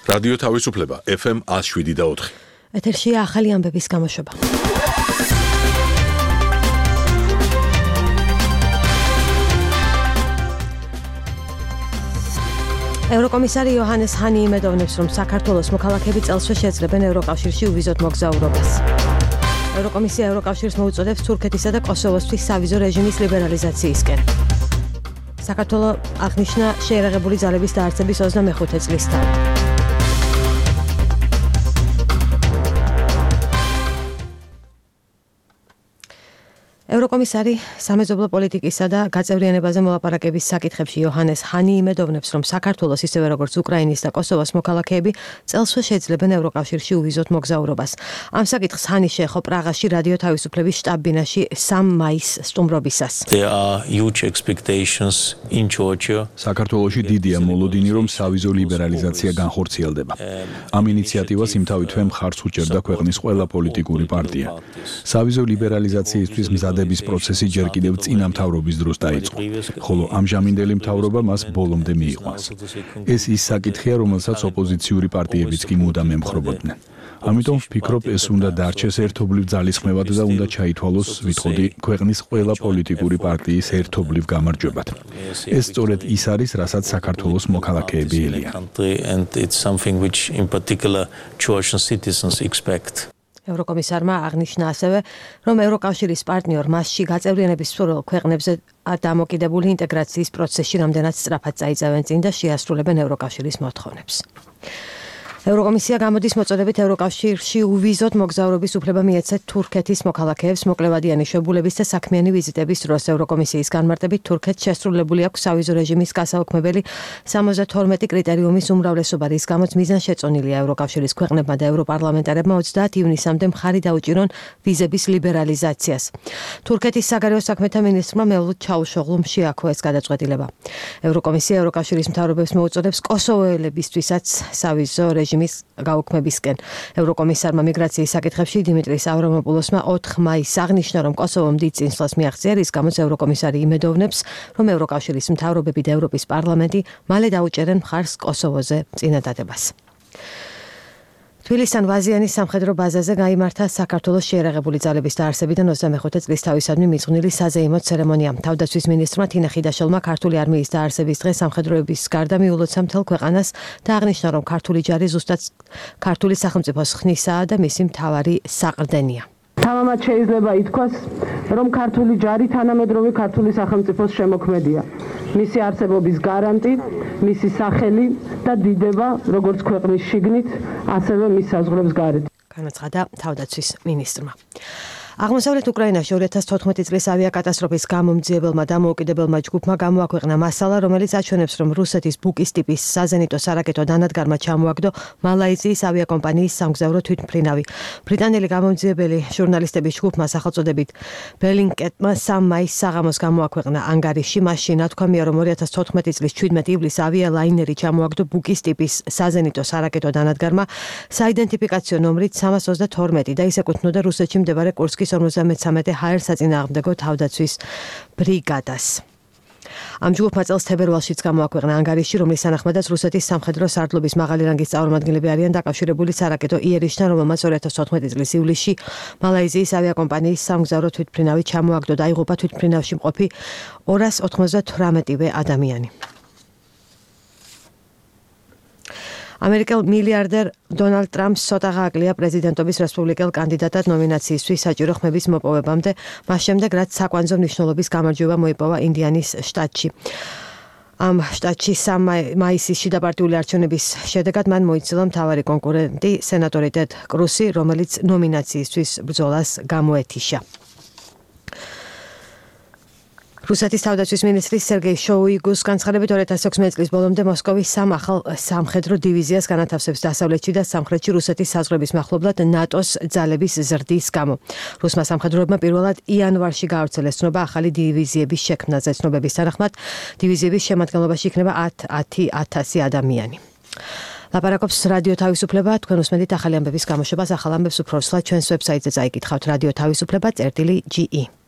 რადიო თავისუფლება FM 107.4. ეთერშია ახალი ამბების გამოშვება. ევროკომისარი იოჰანეს ჰანი იმედოვნებს, რომ საქართველოს მოქალაქეები წელსვე შეძლებენ ევროკავშირში უვიზოთ მოგზაურობას. ევროკომისია ევროკავშირს მოუწოდებს თურქეთისა და კოსოვოსთვის სავიზო რეჟიმის ლიბერალიზაციისკენ. საქართველოს აღნიშნა შეერაღებული ძალების დაარსების 25 წლისთან. ევროკომისარი სამეზობლო პოლიტიკისა და გაწევრიანებაზე მოლაპარაკების საკითხებში იოჰანეს ჰანი იმედოვნებს, რომ საქართველოს ისევე როგორც უკრაინის და კოსოვოს მოქალაქეები წელსვე შეძლებენ ევროკავშირში უვიზოთ მოგზაურობას. ამ საკითხს ჰანი შეეხო პრაღაში რადიო თავისუფლების შტაბ-ბინაში 3 მაისს სტუმრობისას. საქართველოში დიდია მოლოდინი, რომ სავიზო ლიბერალიზაცია განხორციელდება. ამ ინიციატივას იმთავითვე მხარს უჭერდა ქვეყნის ყველა პოლიტიკური პარტია. სავიზო ლიბერალიზაციისთვის მზადების პროცესი ჯერ კიდევ წინა მთავრობის დროს დაიწყო, ხოლო ამჟამინდელი მთავრობა მას ბოლომდე მიიყვანს. ეს ის საკითხია, რომელსაც ოპოზიციური პარტიებიც კი მუდამ ემხრობოდნენ. ამიტომ ვფიქრობ, ეს უნდა დარჩეს ერთობლივ ძალისხმევად და უნდა ჩაითვალოს, ვიტყოდი, ქვეყნის ყველა პოლიტიკური პარტიის ერთობლივ გამარჯვებად. ეს სწორედ ის არის, რასაც საქართველოს მოქალაქეები ელიან. ევროკომისარმა აღნიშნა ასევე, რომ ევროკავშირის პარტნიორ მასში გაწევრიანების მსურველ ქვეყნებზე დამოკიდებული ინტეგრაციის პროცესში რამდენად სწრაფად წაიწევენ წინ და შეასრულებენ ევროკავშირის მოთხოვნებს. ევროკომისია გამოდის მოწოდებით ევროკავშირში უვიზოთ მოგზაურობის უფლება მიეცეთ თურქეთის მოქალაქეებს მოკლევადიანი შვებულების და საქმიანი ვიზიტების დროს. ევროკომისიის განმარტებით თურქეთს შესრულებული აქვს სავიზო რეჟიმის გასაუქმებელი 72 კრიტერიუმის უმრავლესობა, რის გამოც მიზანშეწონილია ევროკავშირის ქვეყნებმა და ევროპარლამენტარებმა 30 ივნისამდე მხარი დაუჭირონ ვიზების ლიბერალიზაციას. თურქეთის საგარეო საქმეთა მინისტრმა მევლութ ჩაუშოღლუმ შეაქო ეს გადაწყვეტილება. ევროკომისია ევროკავშირის მთავრობებს მოუწოდებს კოსოვოელებისთვისაც სავიზო რეჟიმის გაუქმებისკენ. ევროკომისარმა მიგრაციის საკითხებში დიმიტრის ავრამოპულოსმა 4 მაისს აღნიშნა, რომ კოსოვომ დიდ წინსვლას მიაღწია, რის გამოც ევროკომისარი იმედოვნებს, რომ ევროკავშირის მთავრობები და ევროპის პარლამენტი მალე დაუჭერენ მხარს კოსოვოზე წინადადებას. თბილისთან ვაზიანის სამხედრო ბაზაზე გაიმართა საქართველოს შეერაღებული ძალების დაარსებიდან 25 წლის თავისადმი მიძღვნილი საზეიმო ცერემონია. თავდაცვის მინისტრმა თინა ხიდაშელმა ქართული არმიის დაარსების დღე სამხედროების გარდა მიულოცა მთელ ქვეყანას და აღნიშნა, რომ ქართული ჯარი ზუსტად ქართული სახელმწიფოს ხნისაა და მისი მთავარი საყრდენია. თამამად შეიძლება ითქვას, რომ ქართული ჯარი თანამედროვე ქართული სახელმწიფოს შემოქმედია. მისი არსებობის გარანტი, მისი სახელი და დიდება, როგორც ქვეყნის შიგნით, ასევე მის საზღვრებს გარეთ. განაცხადა თავდაცვის მინისტრმა. აღმოსავლეთ უკრაინაში 2014 წლის ავიაკატასტროფის გამომძიებელმა დამოუკიდებელმა ჯგუფმა გამოაქვეყნა მასალა, რომელიც აჩვენებს, რომ რუსეთის ბუკის ტიპის საზენიტო სარაკეტო დანადგარმა ჩამოაგდო მალაიზიის ავიაკომპანიის სამგზავრო თვითმფრინავი. ბრიტანელი გამომძიებელი ჟურნალისტების ჯგუფმა სახელწოდებით ბელინკეტმა 3 მაისს საღამოს გამოაქვეყნა ანგარიში. მასში ნათქვამია, რომ 2014 წლის 17 ივლისს ავიალაინერი ჩამოაგდო ბუკის ტიპის საზენიტო სარაკეტო დანადგარმა საიდენტიფიკაციო ნომრით 322 და ის ეკუთვნოდა რუსეთში მდებარე კურსკის 53 ჰაერ საწინააღმდეგო თავდაცვის ბრიგადას. ამ ჯგუფმა წელს თებერვალშიც გამოაქვეყნა ანგარიში, რომლის თანახმადაც რუსეთის სამხედრო სარდლობის მაღალი რანგის წარმომადგენლები არიან დაკავშირებული სარაკეტო იერიშთან, რომელმაც 2014 წლის ივლისში მალაიზიის ავიაკომპანიის სამგზავრო თვითმფრინავი ჩამოაგდო და იღუპა თვითმფრინავში მყოფი 298-ვე ადამიანი. ამერიკელ მილიარდერ დონალდ ტრამპს ცოტა გააკლია პრეზიდენტობის რესპუბლიკელ კანდიდატად ნომინაციისთვის საჭირო ხმების მოპოვებამდე, მას შემდეგ, რაც საკვანძო მნიშვნელობის გამარჯვება მოიპოვა ინდიანის შტატში. ამ შტატში 3 მაისის შიდაპარტიული არჩევნების შედეგად მან მოიცილა მთავარი კონკურენტი სენატორი ტედ კრუსი, რომელიც ნომინაციისთვის ბრძოლას გამოეთიშა. რუსეთის თავდაცვის მინისტრის სერგეი შოუიგუს განცხადებით 2016 წლის ბოლომდე მოსკოვის 3 ახალ სამხედრო დივიზიას განათავსებს დასავლეთში და სამხრეთში რუსეთის საზღვრების მახლობლად ნატოს ძალების ზრდის გამო. რუსმა სამხედროებმა პირველად იანვარში გაავრცელეს ცნობა ახალი დივიზიების შექმნაზე. ცნობების თანახმად დივიზიების შემადგენლობაში იქნება 10,000 ადამიანი. ლაპარაკობს რადიო თავისუფლება, თქვენ უსმენთ ახალი ამბების გამოშვებას, ახალ ამბებს უფრო სრულად ჩვენს ვებსაიტზე წაიკითხავთ radio-tavisupleba.ge